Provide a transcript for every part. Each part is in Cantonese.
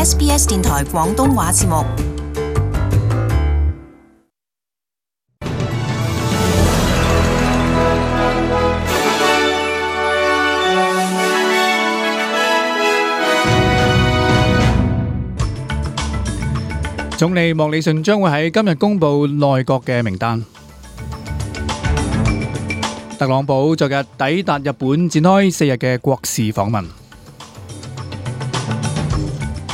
SBS 電台廣東話節目。總理莫里遜將會喺今日公布內閣嘅名單。特朗普昨日抵達日本，展開4日嘅國事訪問。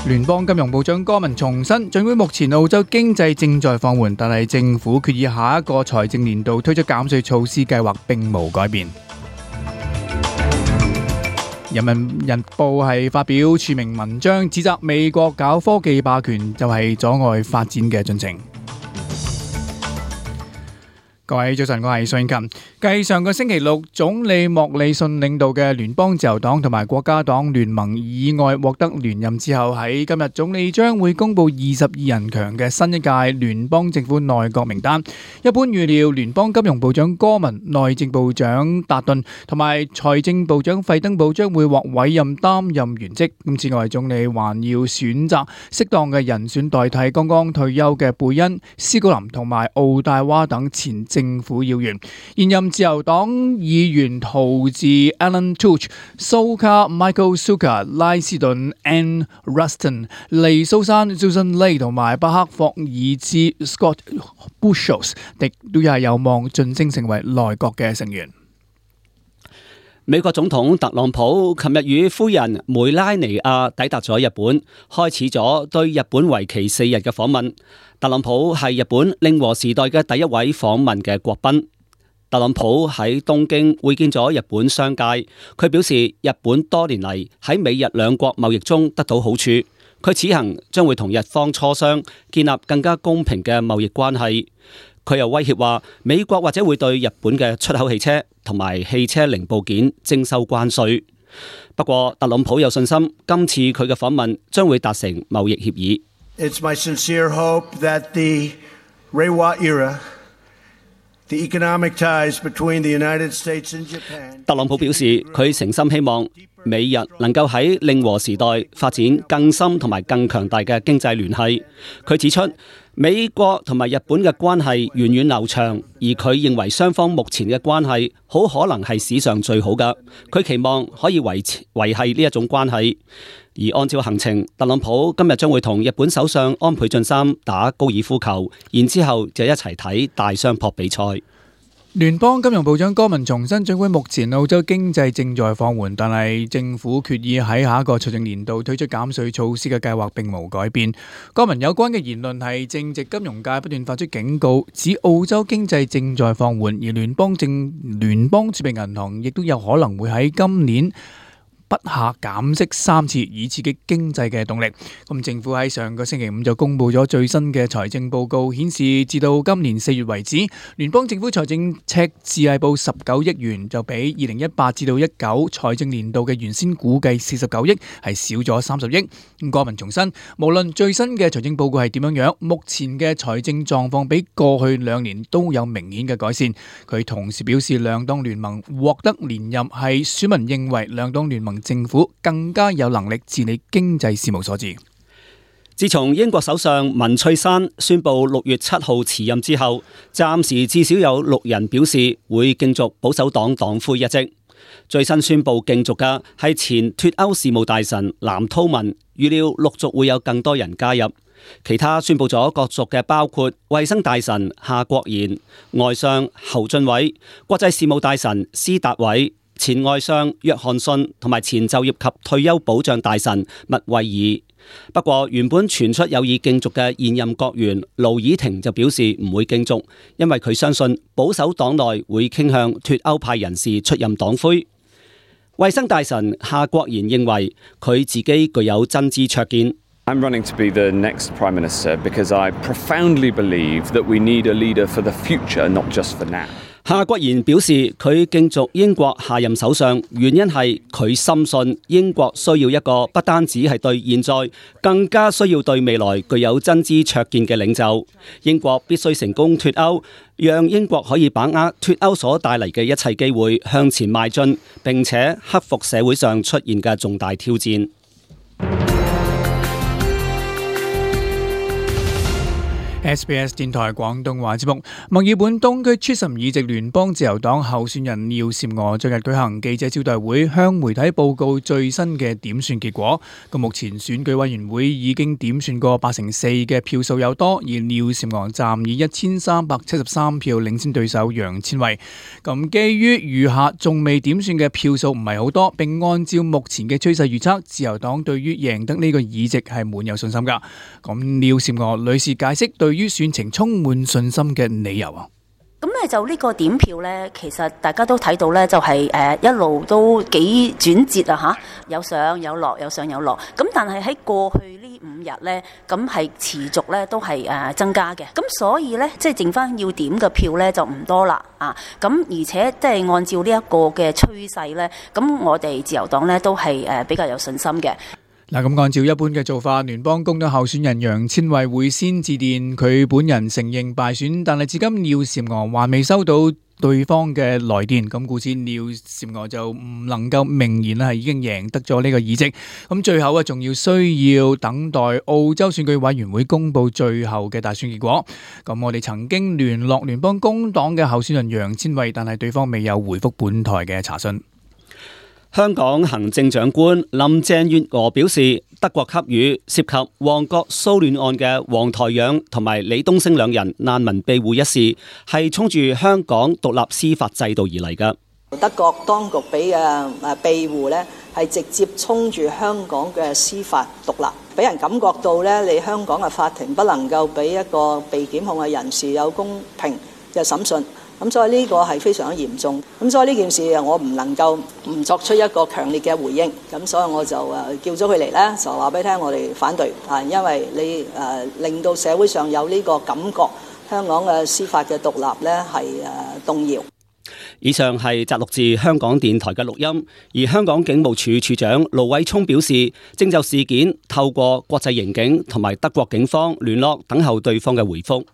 聯邦金融部長戈文重申，儘管目前澳洲經濟正在放緩，但係政府決議下一個財政年度推出減稅措施計劃並無改變。人民日報係發表署名文章，指責美國搞科技霸權就係阻礙發展嘅進程。各位早晨，我係蘇英琴。繼上個星期六，總理莫里遜領導嘅聯邦自由黨同埋國家黨聯盟以外獲得連任之後，喺今日總理將會公布22人強嘅新一屆聯邦政府內閣名單。一般預料聯邦金融部長戈文、內政部長達頓同埋財政部長費登堡將會獲委任擔任原職。此外，總理還要選擇適當嘅人選代替剛剛退休嘅貝恩、斯高林同埋奧大娃等前政府要員。現任自由黨議員陶治 Alan Tudge、蘇卡 Michael Sukkar、拉斯頓 Anne Ruston、黎蘇珊 Susan Ley 同埋巴克霍爾茲 Scott Bushels 亦都係有望晉升成為內閣嘅成員。美國總統特朗普琴日與夫人梅拉尼亞抵達咗日本，開始咗對日本為期4日嘅訪問。特朗普係日本令和時代嘅第一位訪問嘅國賓。特朗普喺東京會見咗日本商界，佢表示日本多年嚟喺美日兩國貿易中得到好處，佢此行將會同日方磋商，建立更加公平嘅貿易關係。佢又威脅話，美國或者會對日本嘅出口汽車同埋汽車零部件徵收關稅。不過，特朗普有信心，今次佢嘅訪問將會達成貿易協議。It's my sincere hope that the Reiwa era, the economic ties between the United States and Japan。特朗普表示，佢誠心希望美日能夠喺令和時代發展更深同埋更強大嘅經濟聯繫。佢指出，美國同埋日本嘅關係源遠流長，而佢認為雙方目前嘅關係好可能係史上最好嘅。佢期望可以維繫呢一種關係。而按照行程，特朗普今日將會同日本首相安倍晉三打高爾夫球，然之後就一齊睇大相撲比賽。聯邦金融部長戈文重申，儘管目前澳洲經濟正在放緩，但係政府決議喺下一個財政年度推出減稅措施嘅計劃並無改變。戈文有關嘅言論係正值金融界不斷發出警告，指澳洲經濟正在放緩，而聯邦儲備銀行亦都有可能會喺今年不下減息3次，以刺激經濟嘅動力。咁政府喺上個星期五就公布咗最新嘅財政報告，顯示至到今年4月為止，聯邦政府財政赤字係報19億元，就比2018至到19財政年度嘅原先估計49億係少咗30億。戈文重申，無論最新嘅財政報告係點樣，目前嘅財政狀況比過去2年都有明顯嘅改善。佢同時表示，兩黨聯盟獲得連任係選民認為兩黨聯盟政府更加有能力治理經濟事務所致。自從英國首相文翠珊宣布6月7號辭任之後，暫時至少有6人表示會競逐保守黨黨魁一職。最新宣布競逐嘅係前脫歐事務大臣藍韜文，預料陸續會有更多人加入。其他宣布咗角逐嘅包括衛生大臣夏國賢、外相侯俊偉、國際事務大臣施達偉、前外相約翰遜同埋前就業及退休保障大臣麥惠爾。不過原本傳出有意競逐嘅現任國員盧爾廷就表示唔會競逐，因為佢相信保守黨內會傾向脫歐派人士出任黨魁。衛生大臣夏國賢認為佢自己具有真知灼見。I'm running to be the next Prime Minister because I profoundly believe that we need a leader for the future, not just for now. 夏國賢表示，佢競逐英國下任首相，原因係佢深信英國需要一個不單止係對現在，更加需要對未來具有真知灼見嘅領袖。英國必須成功脫歐，讓英國可以把握脫歐所帶嚟嘅一切機會向前邁進，並且克服社會上出現嘅重大挑戰。SBS 電台廣東話節目，墨爾本東區 Chisholm 議席聯邦自由黨候選人廖嬋娥昨日舉行記者招待會，向媒體報告最新嘅點算結果。咁目前選舉委員會已經點算過84%嘅票數有多，而廖嬋娥暫以1373票領先對手楊千卉。咁基於餘下仲未點算嘅票數唔係好多，並按照目前嘅趨勢預測，自由黨對於贏得呢個議席係滿有信心㗎。咁廖嬋娥女士解釋對於選情充滿信心嘅理由啊。咁咧就呢個點票咧，其實大家都睇到咧，就係一路都幾轉折啊嚇，有上有落，有上有落。咁但係喺過去呢5日咧，咁係持續咧都係增加嘅。咁所以咧，即係剩翻要點嘅票咧就唔多啦啊。咁而且即係按照呢一個嘅趨勢咧，咁我哋自由黨咧都係比較有信心嘅。嗱，咁按照一般嘅做法，聯邦工黨候選人楊千卉會先致電佢本人承認敗選，但係至今廖嬋娥還未收到對方嘅來電，咁故此廖嬋娥就唔能夠明言係已經贏得咗呢個議席。咁最後仲要需要等待澳洲選舉委員會公布最後嘅大選結果。咁我哋曾經聯絡聯邦工黨嘅候選人楊千卉，但係對方未有回覆本台嘅查詢。香港行政長官林鄭月娥表示，德國給予涉及旺角騷亂案嘅黃台仰同埋李東升兩人難民庇護一事，係衝住香港獨立司法制度而嚟嘅。德國當局俾嘅庇護呢，係直接衝住香港嘅司法獨立，俾人感覺到呢，你香港嘅法庭不能夠俾一個被檢控嘅人士有公平嘅審訊。咁所以呢個係非常之嚴重，咁所以呢件事我唔能夠唔作出一個強烈嘅回應，咁所以我就叫咗佢嚟咧，就話俾你聽我哋反對啊，因為你令到社會上有呢個感覺，香港嘅司法嘅獨立咧係動搖。以上係摘錄自香港電台嘅錄音，而香港警務處處長盧偉聰表示，正就事件透過國際刑警同埋德國警方聯絡，等候對方嘅回覆。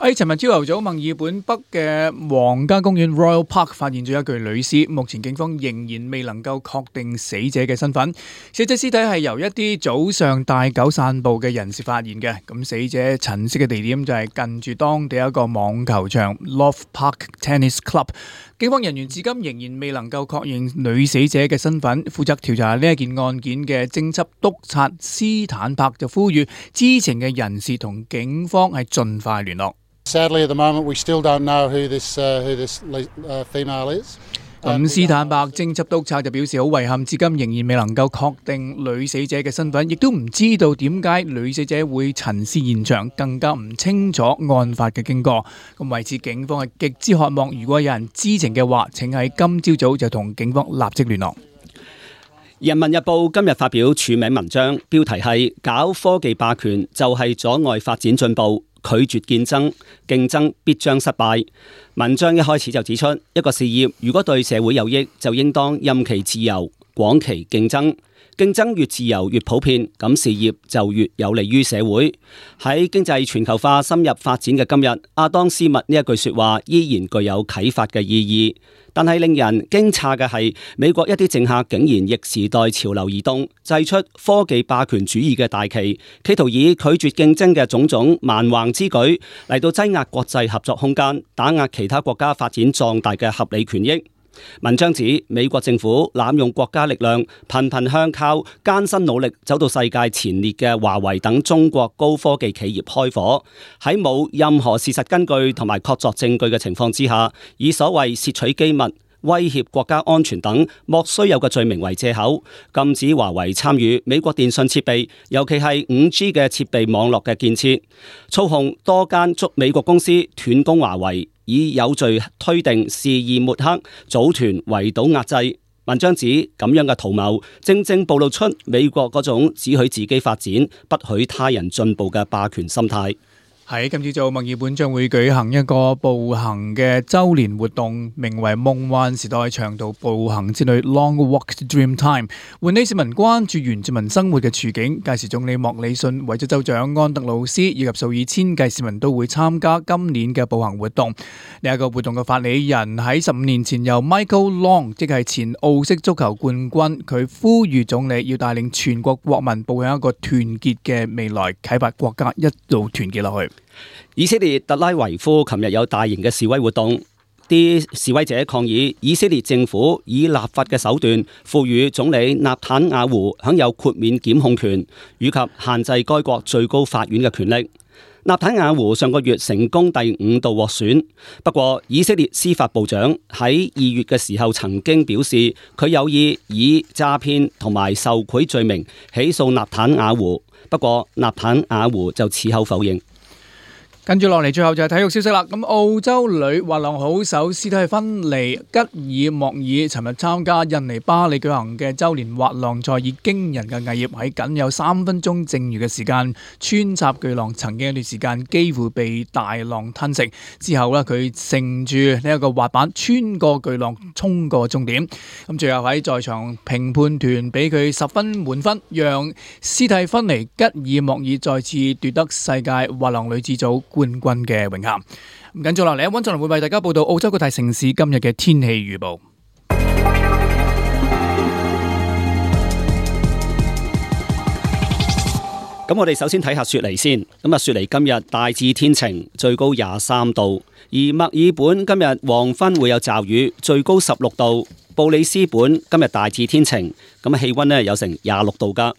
喺尋日朝頭早，墨爾本北嘅皇家公園 Royal Park 發現咗一具女屍，目前警方仍然未能夠確定死者嘅身份。死者屍體係由一啲早上帶狗散步嘅人士發現嘅。咁死者陳屍嘅地點就係近住當地一個網球場 Love Park Tennis Club。警方人員至今仍然未能夠確認女死者嘅身份。負責調查呢一件案件嘅偵緝督察斯坦柏就呼籲知情嘅人士同警方係盡快聯絡。Sadly, at the moment, we still don't know who this female is. 咁斯坦伯偵緝督察就表示好遺憾，至今仍然未能夠確定女死者嘅身份，亦都唔知道點解女死者會陳屍現場，更加唔清楚案發嘅經過。咁為此，警方係極之渴望，如果有人知情嘅話，請喺今朝早就同警方立即聯絡。人民日報今日發表署名文章，標題係搞科技霸權就係阻礙發展進步，拒絕競爭，競爭必將失敗。文章一開始就指出，一個事業如果對社會有益，就應當任其自由，廣其競爭。競爭越自由越普遍，咁事業就越有利於社會。喺經濟全球化深入發展嘅今日，亞當斯密呢一句說話依然具有啟發嘅意義。但係令人驚詫嘅係，美國一啲政客竟然逆時代潮流而動，祭出科技霸權主義嘅大旗，企圖以拒絕競爭嘅種種蠻橫之舉嚟到擠壓國際合作空間，打壓其他國家發展壯大嘅合理權益。文章指美國政府濫用國家力量，頻頻向靠艱辛努力走到世界前列嘅華為等中國高科技企業開火，喺冇任何事實根據同埋確鑿證據嘅情況之下，以所謂竊取機密、威脅國家安全等莫須有嘅罪名為借口，禁止華為參與美國電信設備，尤其係 5G 嘅設備網絡嘅建設，操控多間美國公司斷供華為，以有罪推定、肆意抹黑、組團圍堵壓制。文章指咁樣嘅圖謀，正正暴露出美國嗰種只許自己發展，不許他人進步嘅霸權心態。喺今朝早，墨爾本將會舉行一個步行嘅周年活動，名為夢幻時代長途步行之旅 Long Walk to Dreamtime， 喚起市民關注原住民生活嘅處境。屆時總理莫里遜、維州州長安德魯斯以及數以千計市民都會參加今年嘅步行活動。呢一個活動嘅發起人喺15年前由 Michael Long， 即係前澳式足球冠軍，佢呼籲總理要帶領全國國民步向一個團結嘅未來，啟發國家一路團結落去。以色列特拉維夫琴日有大型嘅示威活動，啲示威者抗議以色列政府以立法嘅手段賦予總理納坦雅胡享有豁免檢控權，以及限制該國最高法院嘅權力。納坦雅胡上個月成功第5度獲選，不過以色列司法部長喺2月嘅時候曾經表示，佢有意以詐騙同埋受賄罪名起訴納坦雅胡，不過納坦雅胡就此後否認。跟住落嚟，最後就係體育消息啦。咁澳洲女滑浪好手斯蒂芬尼吉爾莫爾尋日參加印尼巴里舉行嘅周年滑浪賽，以驚人嘅毅業喺僅有3分鐘剩餘嘅時間穿插巨浪，曾經一段時間幾乎被大浪吞食。之後呢，佢乘住呢一個滑板穿過巨浪衝過終點。咁最後喺在場評判團俾佢10分滿分，讓斯蒂芬尼吉爾莫爾再次奪得世界滑浪女子組冠軍嘅榮銜。咁跟住落嚟，溫俊霖會為大家報道澳洲各大城市今日嘅天氣預報。咁我哋首先睇下雪梨先。咁雪梨今日大致天晴，最高23度；而墨爾本今日黃昏會有驟雨，最高16度；布里斯本今日大致天晴，咁氣溫呢有成26度噶；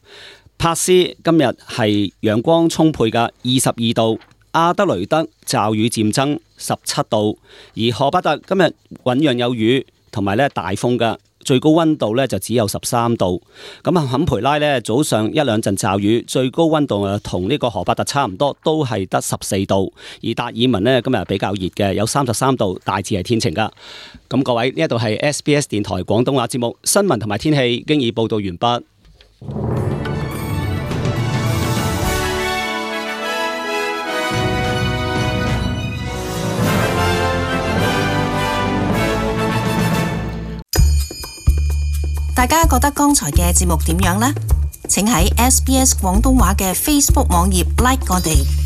珀斯今日係陽光充沛嘅22度。阿德雷德驟雨漸增17度，而荷巴特今日醞釀有雨同埋大風嘅，最高溫度就只有13度。咁坎培拉早上1-2陣驟雨，最高溫度同呢個荷巴特差唔多，都係得14度。而達爾文今日比較熱嘅，有33度，大致係天晴噶。咁各位，呢一度係 SBS 電台廣東話節目新聞同埋天氣，經已報道完畢。大家覺得剛才嘅節目點樣呢？請喺SBS 廣東話嘅 Facebook 網頁 like 我哋。